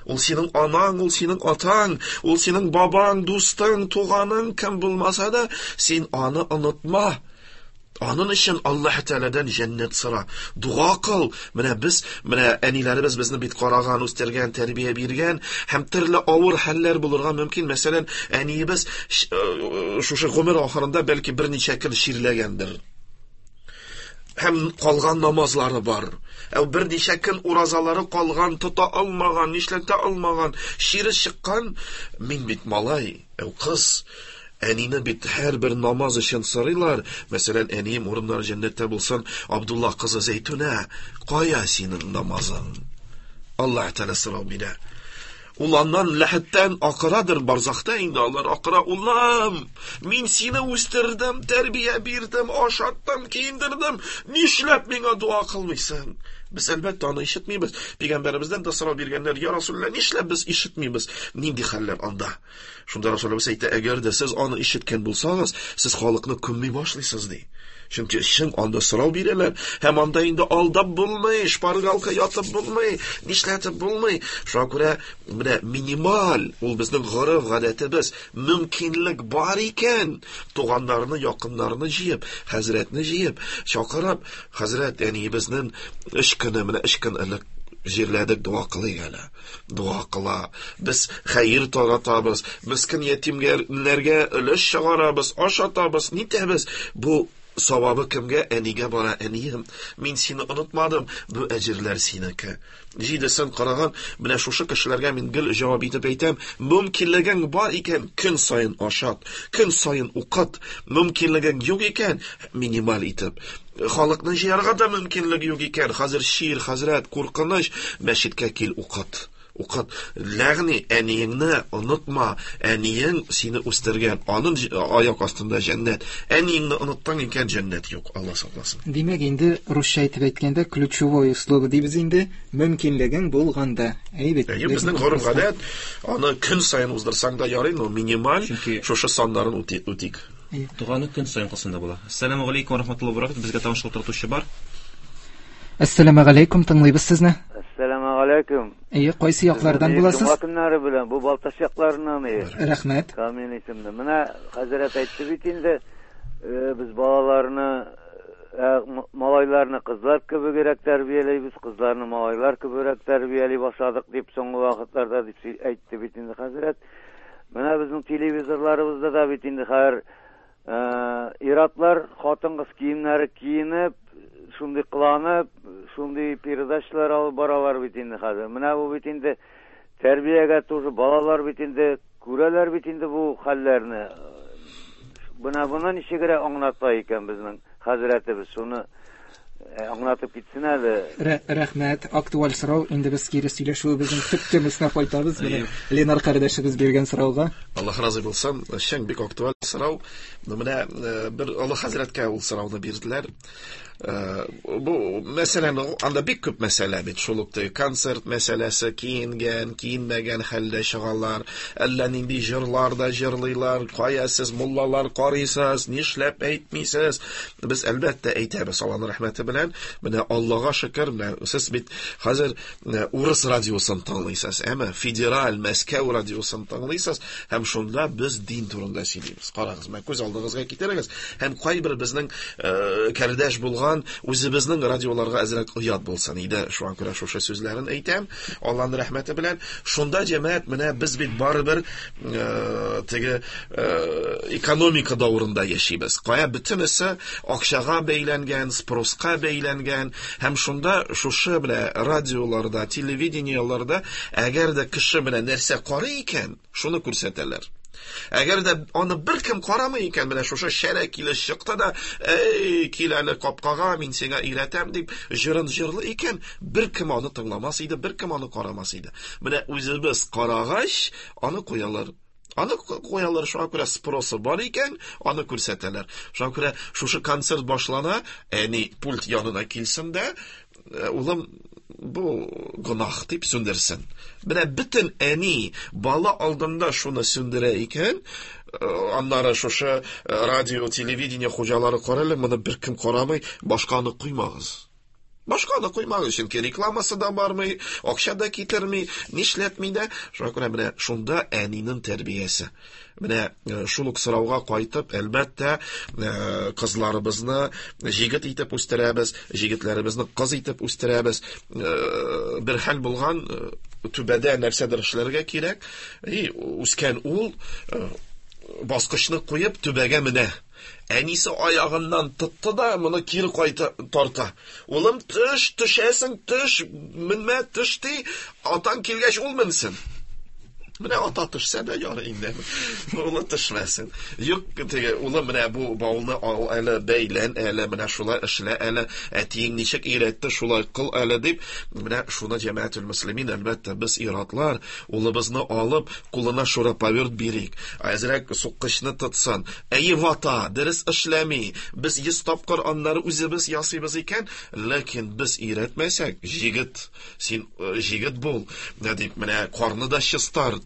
Ул синең анаң, ул синең атаң, ул синең бабаң, дустың, туганың, кем булмаса да, син аны онытма. Аның өчен Аллаһ Тәгаләдән җәннәт сора. Дуга кыл. Менә без, менә әниләребез безне бит караган, үстергән, тәрбия биргән һәм төрле авыр хәлләр булырга мөмкин. Мәсәлән, әниебез шушы гомер ахырында бәлки берничә көн чирләгәндер. Һәм калган намазлары бар. Ә берничә көн уразалары калган, тота алмаган, нишләтә алмаган, чире чыккан. Мин бит малай, ә кыз. Әнине бит һәрбер намаз өчен сорыйлар. Мәсәлән, әнием урыннары җәннәттә булсын, Абдулла кызы Зәйтүнә, кая синең намазың? Аллаһ Тәгалә сорау бирә. Ул аннан ләхеттән акырадыр, барзахта инде алар акыра. Улым, мин сине үстердем, тәрбия бирдем, ашаттым, киендердем. Нишләп миңа дуа кылмыйсың? Без әлбәттә аны ишетмибез. Пәйгамбәребездән дә сорау биргәннәр, я Расулулла, нишләп без ишетмибез? Нинди хәлләр анда? Шунда Расулыбыз әйтә, әгәр дә сез аны ишеткән булсагыз, сез халыкны күмми башлыйсыз, ди. Чөнки чын анда сорау бирәләр, һәм анда инде алдап булмый, шпаргалка ятып булмый, нишләтеп булмый. Шуңа күрә менә минималь, ул безнең гореф гадәтебез, мөмкинлек бар икән, туганнарны, якыннарны җыеп, хәзрәтне җыеп, чакырып, хәзрәт, әниебезнең 3 көне, менә 3 көн элек җирләдек, дуа кылыйк әле. Дуа кыла. Без хәер таратабыз, мескен ятимнәргә өлеш чыгарабыз, ашатабыз, нитәбез. Бу савабы кемгә? Әнигә бара. Әнием, мин сине онытмадым, бу әҗерләр синеке. Җидесен караган, менә шушы кешеләргә мин гел җавап итеп әйтәм, мөмкинлегең бар икән, көн саен ашат, көн саен укыт, мөмкинлегең юк икән, минималь итеп. Халыкны җыярга да мөмкинлек юк икән, хәзер чир, хәзрәт, куркыныч, мәчеткә кил, укыт. Укыт. Ләгъни әниеңне онытма, әниең сине үстергән, аның аяк астында җәннәт. Әниеңне оныттың икән, җәннәт юк, Алла сакласын. Димәк, инде русча әйтеп әйткәндә, ключевое слово дибез инде, мөмкинлегең булганда. Әйе бит. Әйе, безнең гореф-гадәт, аны көн саен уздырсаң да ярый, но минималь шушы саннарын үтик. Доганы көн саен кылсаң да була. Ассаламу алейкум ва рахматуллаһи ва баракатуһ. Безгә тагын шалтыратучы бар. Ассаламу алейкум, тыңлыйбыз сезне. Ассаламу алейкум. Әйе, кайсы яклардан буласыз? Җомга көннәре белән, бу Балтач якларыннан, әйе. Рәхмәт. Камил исемле. Менә хәзрәт әйтте бит инде, без балаларны Малайларны кызлар кебегрәк тәрбиялибез, кызларны малайлар кебегрәк тәрбияли башладык дип соңгы вакытларда дип әйтте бит инде хәзрәт. Менә безнең телевизорларыбызда да бит инде хәзер ир-атлар хатын-кыз киемнәре киенеп, шундый кыланып, шундый передачалар алып баралар бит инде хәзер. Менә бу бит инде тәрбиягә тоже балалар бит инде күрәләр бит инде бу хәлләрне. Менә моны ничегрәк аңлата икән безнең хәзрәтебез, шуны аңлатып китсен әле. Рәхмәт, актуаль сорау. Инде без кире сөйләшүебезнең төп темасына кайтабыз. Менә Ленар кардәшебез биргән сорауга. Аллаһ разый булсын. Чын бик актуаль сорау. Менә бер олы хәзрәткә ул сорауны бирделәр. Бу мәсьәләне, анда бик күп мәсьәлә бит, шул ук концерт мәсьәләсе, киенгән, киенмәгән хәлдә чыгалар, әллә нинди җырлар да җырлыйлар, кая сез муллалар карыйсыз, нишләп әйтмисез? Без әлбәттә әйтәбез, Аллаһның рәхмәте белән. Менә Аллаһга шөкер, менә сез бит хәзер урыс радиосын тыңлыйсыз, әмма федераль Мәскәү радиосын тыңлыйсыз, һәм шунда без дин турында сөйлибез. Карагыз, менә күз алдыгызга китерегез, һәм кайбер безнең кардәш булган үзебезнең радиоларга әзрәк оят булсын иде. Шуңа күрә шушы сүзләрен әйтәм, Аллаһның рәхмәте белән. Шунда җәмәгать, менә без бит барыбер теге экономика дәверендә яшибез. Кая бөтенесе акчага бәйләнгән, спроска бәйләнгән, һәм шунда шушы менә радиоларда, телевидениеларда әгәр дә кеше менә нәрсә карый икән, шуны күрсәтәләр. Әгәр дә аны беркем карамый икән, менә шушы шәрә килеш чыкты да, эй, кил әле капкага, мин сиңа өйрәтәм дип җырын җырлый икән, беркем аны тыңламас иде, беркем аны карамас иде. Менә үзебез карагач, аны куялар. Аны куялар, шуңа күрә спросы бар икән, аны күрсәтәләр. Шуңа күрә шушы концерт башлана, әни пульт янына килсен дә, улым, бу гөнаһ дип сүндерсен. Менә бөтен әни бала алдында шуны сүндерә икән, аннары шушы радио, телевидение хуҗалары карале, моны беркем карамый, башканы куймагыз. Башканы куймагыз, чөнки рекламасы да бармый, акча да китерми, нишләтми дә. Шуңа күрә менә шунда әнинең тәрбиясе. Менә шул ук сорауга кайтып, әлбәттә, кызларыбызны җигет итеп үстерәбез, җигетләребезне кыз итеп үстерәбез. Бер хәл булган, түбәдә нәрсәдер эшләргә кирәк. И үскән ул баскычны куеп түбәгә менә. Әнисе аягыннан тотты да моны кире кайта тарта. Улым, төш, төшәсең, төш, менмә, төш ди, атаң килгәч ул менсен. Менә ата төшсә дә ярый инде. Улы төшмәсен. Юк, теге улым, менә бу бауны ал әле, бәйлән әле, менә шулай эшлә әле, әтиең ничек өйрәтте, шулай кыл әле дип, менә шуны җәмәгатул мөслимин, әлбәттә, без ир-атлар улыбызны алып, кулына шуруповерт бирик. Әзрәк суккычны тотсын. Әйе, вата, дөрес эшләми. Без 100 тапкыр аннары үзебез ясыйбыз икән, ләкин без өйрәтмәсәк, җигет, син җигет бул, дип, менә карны да чистарт,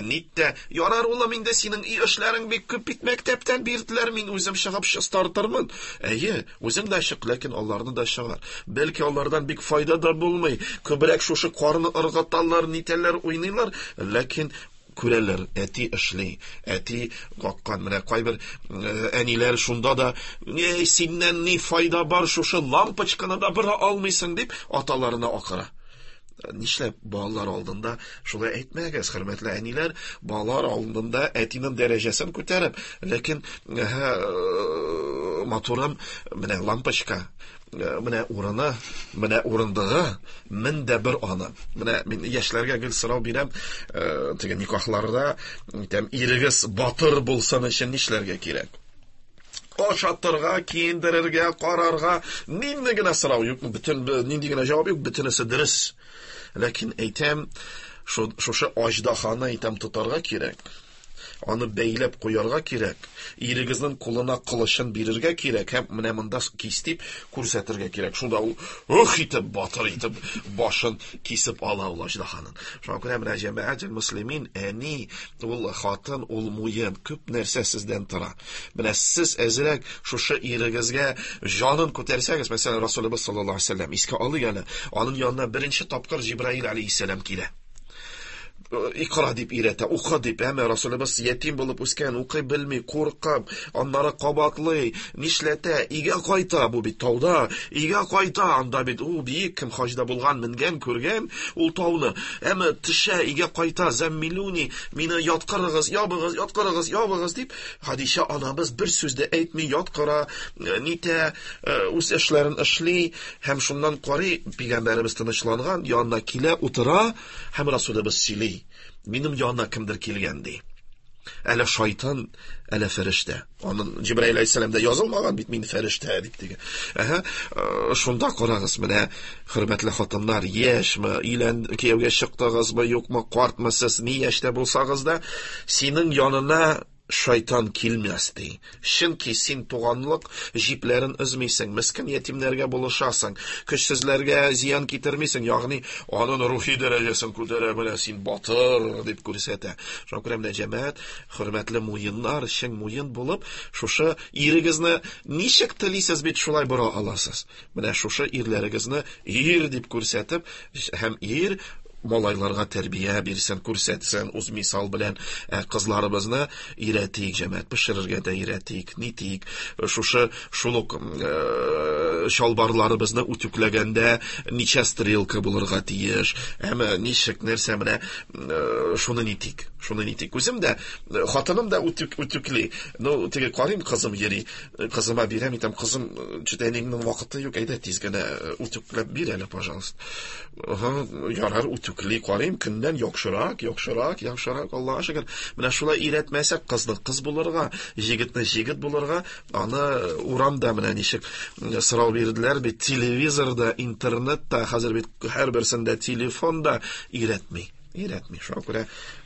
нит тә, ярар улым, инде синең өй эшләрең бик күп бит, мәктәптән бирделәр, мин үзем чыгып чистартырмын. Әйе, үзең дә чык, ләкин аларны да чыгар. Бәлки алардан бик файда да булмый, күбрәк шушы карны ыргыталар, нитәләр, уйныйлар, ләкин күрәләр, әти эшли, әти каккан. Менә кайбер әниләр шунда да, эй, синнән ни файда бар, шушы лампочканы да бора алмыйсың дип аталарына акыра. Нишләп балалар алдында шулай әйтмәгез, хөрмәтле әниләр, балалар алдында әтинең дәрәҗәсен күтәреп, ләкин матурым, менә лампочка, менә урыны, менә урындыгы, мен дә бер аны. Менә мин яшьләргә гел сорау бирәм, теге никахларда, әйтәм, ирегез батыр булсын өчен нишләргә кирәк? Ашатырга, киендерергә, карарга, нинди генә сорау юк, бөтен нинди генә җавап юк, бөтенесе дөрес. Ләкин әйтәм, шушы аждаханы әйтәм тотарга кирәк. Аны бәйләп куярга кирәк. Ирегезнең кулына кылычын бирергә кирәк һәм менә монда кис дип күрсәтергә кирәк. Шунда ул ух итеп, батыр итеп башын кисеп ала ул аждаханың. Шуңа күрә менә җәмәгать мөслимин, әни, ул хатын, ул муен, күп нәрсә сездән тора. Менә сез әзрәк шушы ирегезгә җанын күтәрсәгез, мәсәлән, Расулыбыз саллаллаһу алейһи ва сәлләм искә алыйк әле, аның янына беренче тапкыр Җибраил алейһиссәлам килә. Икра дип өйрәтә, укы дип. Әмма Расулыбыз ятим булып үскән, укый белми, куркып, аннары кабатлый, нишләтә, өйгә кайта, бу бит тауда, өйгә кайта, анда бит ул биек, кем хаҗда булган, менгән, күргән ул тауны. Әмма төшә, өйгә кайта, зәммилүни, мине яткырыгыз, ябыгыз, яткырыгыз, ябыгыз дип, Хадичә анабыз бер сүз дә әйтми, яткыра, нитә, үз эшләрен эшли һәм шуннан карый, пәйгамбәребез тынычланган, янына килә, утыра һәм Расулыбыз сөйли. Минем янына кемдер килгән ди. Әле шайтан, әле фәрештә. Аның Җибраил алейһиссәламдә язылмаган бит мин фәрештә дип дигән. Әһә, шунда карагыз, менә хөрмәтле хатыннар, яшьме, өйлән кияүгә чыктыгызмы, юкмы, картмы сез, ни яшьтә булсагыз да, синең янына шайтан килмәс ди. Чөнки син туганлык җипләрен өзмисең, мескен ятимнәргә булышасың, көчсезләргә зыян китермисең, ягъни аның рухи дәрәҗәсен күтәрә, менә син батыр дип күрсәтә. Шуңа күрә менә җәмәгать, хөрмәтле муеннар, чын муен булып, шушы ирегезне ничек телисез бит шулай бора аласыз. Менә шушы ирләрегезне ир дип күрсәтеп, һәм ир малайларга тәрбия бирсен, күрсәтсен, үз мисал белән кызларыбызны өйрәтик, җәмәгать, пешерергә дә өйрәтик, нитик, шушы шул ук чалбарларыбызны үтүкләгәндә ничә стрелка булырга тиеш, әмма ничек нәрсә менә шуны нитик, шуны нитик. Үзем дә, хатыным да үтүкли. Ну, теге карыйм, кызым йөри, кызыма бирәм, әйтәм, кызым, чүт әниеңнең вакыты юк, әйдә тиз генә үтүкләп бир әле, пожалуйста. Ага, ярар, үтүкли карыйм, көннән яхшырак, яхшырак, яхшырак, Аллаһка шөкер. Менә шулай өйрәтмәсәк, кызны кыз булырга, җегетне җегет булырга, аны урамда менә ничек сорау бирделәр бит, телевизорда, интернетта, хәзер бит һәрберсендә телефонда өйрәтми. Өйрәтми. Шуңа күрә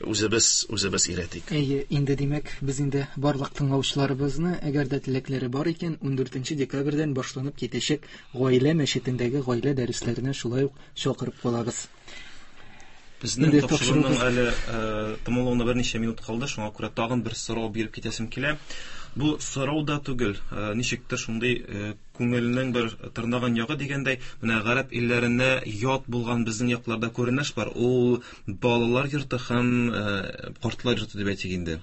үзебез өйрәтик. Әйе, инде димәк, без инде барлык тыңлаучыларыбызны, әгәр дә теләкләре бар икән, 14 декабрьдән башланып китәчәк гаилә мәчетендәге гаилә дәресләренә шулай ук чакырып калабыз. Безнең тапшыруның әле тәмамлануына берничә минут калды, шуңа күрә тагын бер сорау биреп китәсем килә. Бу сорау да түгел, ничектер шундый күңелнең бер тырнаган ягы дигәндәй, менә гарәп илләренә ят булган безнең якларда күренеш бар. Ул балалар йорты һәм картлар йорты дип әйтик инде.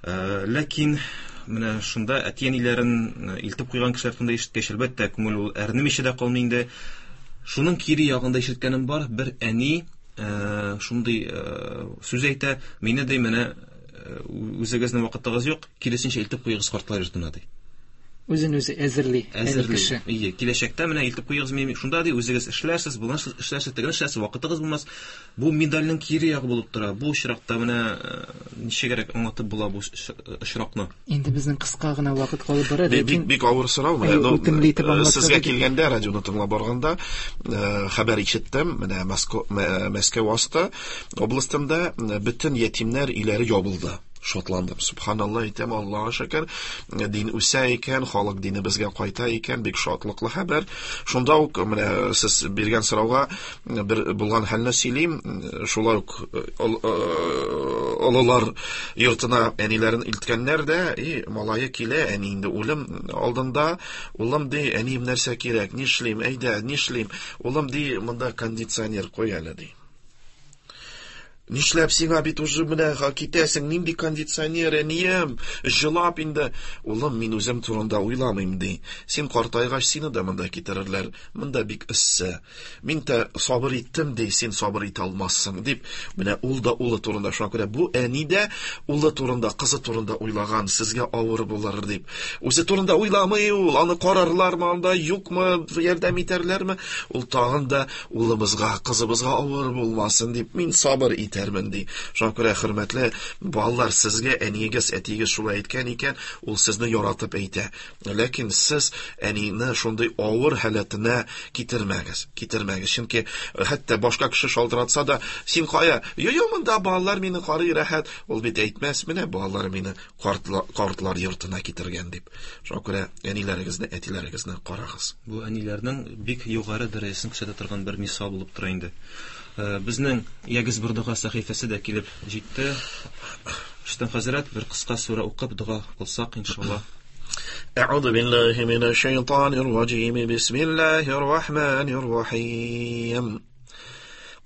Ләкин менә шунда әти-әниләрен илтеп куйган кешеләр турында ишеткәч, әлбәттә, күңел ул әрнемичә дә калмый инде. Шуның кире ягында ишеткәнем бар, бер әни шундый сүз әйтә, мине ди, менә үзегезнең вакытыгыз юк, киресенчә илтеп куегыз картлар йортына ди. Үзен үзе әзерли, әни кеше. Әйе, киләчәктә менә илтеп куегыз мине шунда ди, үзегез эшләрсез, моны эшләрсез, тегене эшләрсез, вакытыгыз булмас. Бу медальнең кире ягы булып тора. Бу очракта менә ничегрәк аңлатып була бу очракны? Инде безнең кыска гына вакыт калып бара, ләкин бик авыр сорау менә. Ну, үтемле итеп аңлатса сезгә килгәндә, радионы тыңлап барганда, хәбәр ишеттем, менә Мәскәү асты областында бөтен ятимнәр өйләре ябылды. Шатландым. Субханалла, әйтәм, Аллаһка шөкер, дин үсә икән, халык динебезгә кайта икән, бик шатлыклы хәбәр. Шунда ук менә сез биргән сорауга бер булган хәлне сөйлим. Шулай ук олылар йортына әниләрен илткәннәр дә, и малае килә, әни инде үлем алдында, улым ди, әнием нәрсә кирәк, нишлим, әйдә, нишлим? Улым ди, монда кондиционер куй әле ди. Нишләп сиңа бит уже менә китәсең, нинди кондиционер, әнием, җылап инде. Улым, мин үзем турында уйламыйм, ди. Син картайгач, сине дә монда китерерләр. Монда бик эссе. Мин дә сабыр иттем, ди, син сабыр итә алмассың, дип. Менә ул да улы турында, шуңа күрә бу әни дә улы турында, кызы турында уйлаган, сезгә авыр булыр, дип. Үзе турында уйламый ул, аны карарлармы анда, юкмы, ярдәм итәрләрме? Ул тагын да улыбызга, кызыбызга авыр булмасын дип, мин сабыр итәрмен, ди. Шуңа күрә, хөрмәтле балалар, сезгә әниегез, әтиегез шулай әйткән икән, ул сезне яратып әйтә. Ләкин сез әнине шундый авыр халәтенә китермәгез, китермәгез. Чөнки хәтта башка кеше шалтыратса да, син кая? Йо-йо, монда балалар мине карый, рәхәт. Ул бит әйтмәс, менә балалар мине картлар йортына китергән дип. Шуңа күрә әниләрегезне, әтиләрегезне карагыз. Бу әниләрнең бик югары дәрәҗәсен күрсәтә торган бер мисал булып тора инде. Безнең Ягез бер дога сәхифәсе дә килеп җитте. Рөстәм хәзрәт, бер кыска сүрә укып дога кылсак, иншалла. أعوذ بالله من الشيطان الرجيم. بسم الله الرحمن الرحيم.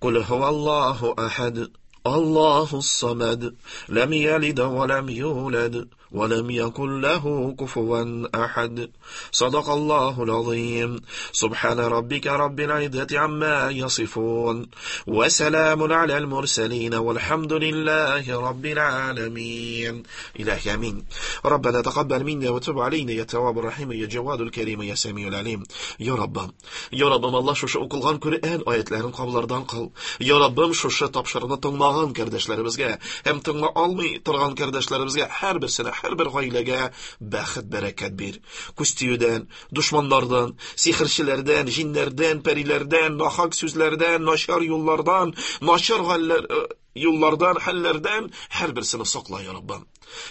قل هو الله أحد. الله الصمد لم يلد ولم يولد ولم يكن له كفوا أحد. صدق الله العظيم. سبحان ربك رب العزة عما يصفون، وسلام على المرسلين، والحمد لله رب العالمين. إلهي آمين. ربنا تقبل منا وتب علينا يا تواب الرحيم يا جواد الكريم يا سميع العليم. Ya Rabbim, Ya Rabbim, Allah шушы укылган Коръән аятларын кабуллардан кыл. Ya Rabbim, шушы тапшыруны тыңлаган кардәшләребезгә һәм тыңла алмый торган кардәшләребезгә һәрберсенә, һәрбер гаиләгә бәхет, бәрәкәт бир. Күз тиюдән, дошманнардан, сихерчеләрдән, җиннәрдән, пәриләрдән, нахак сүзләрдән, начар юллардан, начар галләр, юллардан, хәлләрдән һәрберсен сакла, я Раббым.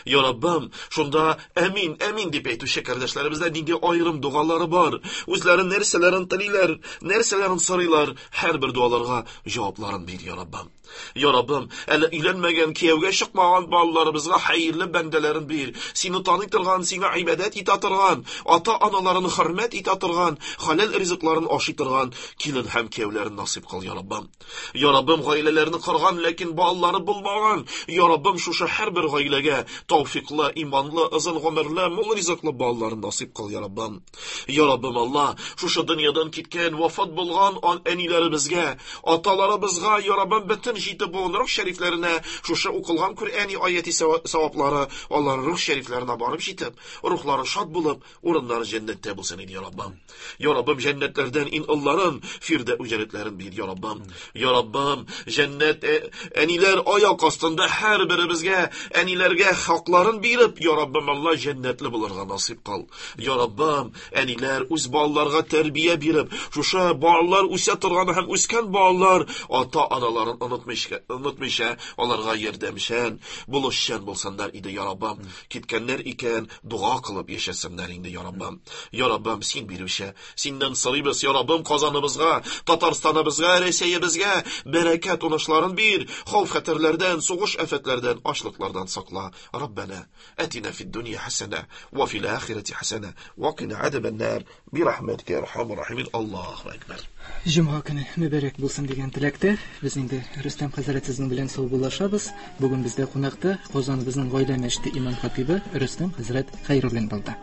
Я Раббым, шунда әмин, әмин дип әйтүче кардәшләребездә нинди аерым дугалары бар, үзләре нәрсәләрен телиләр, нәрсәләрен сорыйлар, һәрбер дуаларга җавапларын бир, я Раббым. Я Раббым, әле өйләнмәгән, кияүгә чыкмаган балаларыбызга хәерле бәндәләрен бир. Сине таный торган, сиңа гыйбадәт итә торган, ата-аналарын хөрмәт итә торган, хәләл ризыкларын ашый торган килен һәм кияүләрен насыйп кыл, я Раббым. Я Раббым, гаиләләрне корган, ләкин балалары булмаган, я Раббым, шушы һәрбер гаиләгә тәүфиклы, иманлы, озын гомерле, мул ризыклы балаларын насыйп кыл, я Раббым. Я Раббым, Алла, шушы дөньядан киткән, вафат булган әниләребезгә, аталарыбызга, я Раббым, бөтен җите буын рух шәрифләренә шушы укылган Коръәни аяти саваплары алар рух шәрифләренә барып җитеп, рухлары шат булып, урыннары җәннәттә булсын иде, я Раббым. Я Раббым, җәннәтләрдән иң олларын, фирдәү җәннәтләрен бир, я Раббым. Я Раббым, җәннәт әниләр аяк астында һәрберебезгә, әниләргә хакларын биреп, я Раббым, Алла, җәннәтле булырга насыйп кыл. Я Раббым, әниләр үз балаларга тәрбия биреп, шушы балалар үсә торган һәм үскән балалар ата-аналарын онытмыйча, аларга ярдәмчән, булышчан булсыннар иде, я Раббым. Киткәннәр икән, дуа кылып яшәсеннәр инде, я Раббым. Я Раббым, син бирүче, синнән сорыйбыз, я Раббым, Казаныбызга, Татарстаныбызга, Рәсәебезгә бәрәкәт уңышларын бир, хәүф-хәтәрләрдән, сугыш афәтләрдән, ачлыклардан сакла. Раббана, атина фид дөнья хәсәнә, ва фил ахирәти хәсәнә, ва кина азабан-нар, бирахмәтикә я архамар рахимин. Аллаһу акбар. Җомга көне мөбарәк булсын дигән теләктә, без инде Рөстәм хәзрәт сезнең белән саубуллашабыз. Бүген бездә кунакта Казаныбызның гаилә мәчете имам хатибы Рөстәм хәзрәт Хәйруллин булды.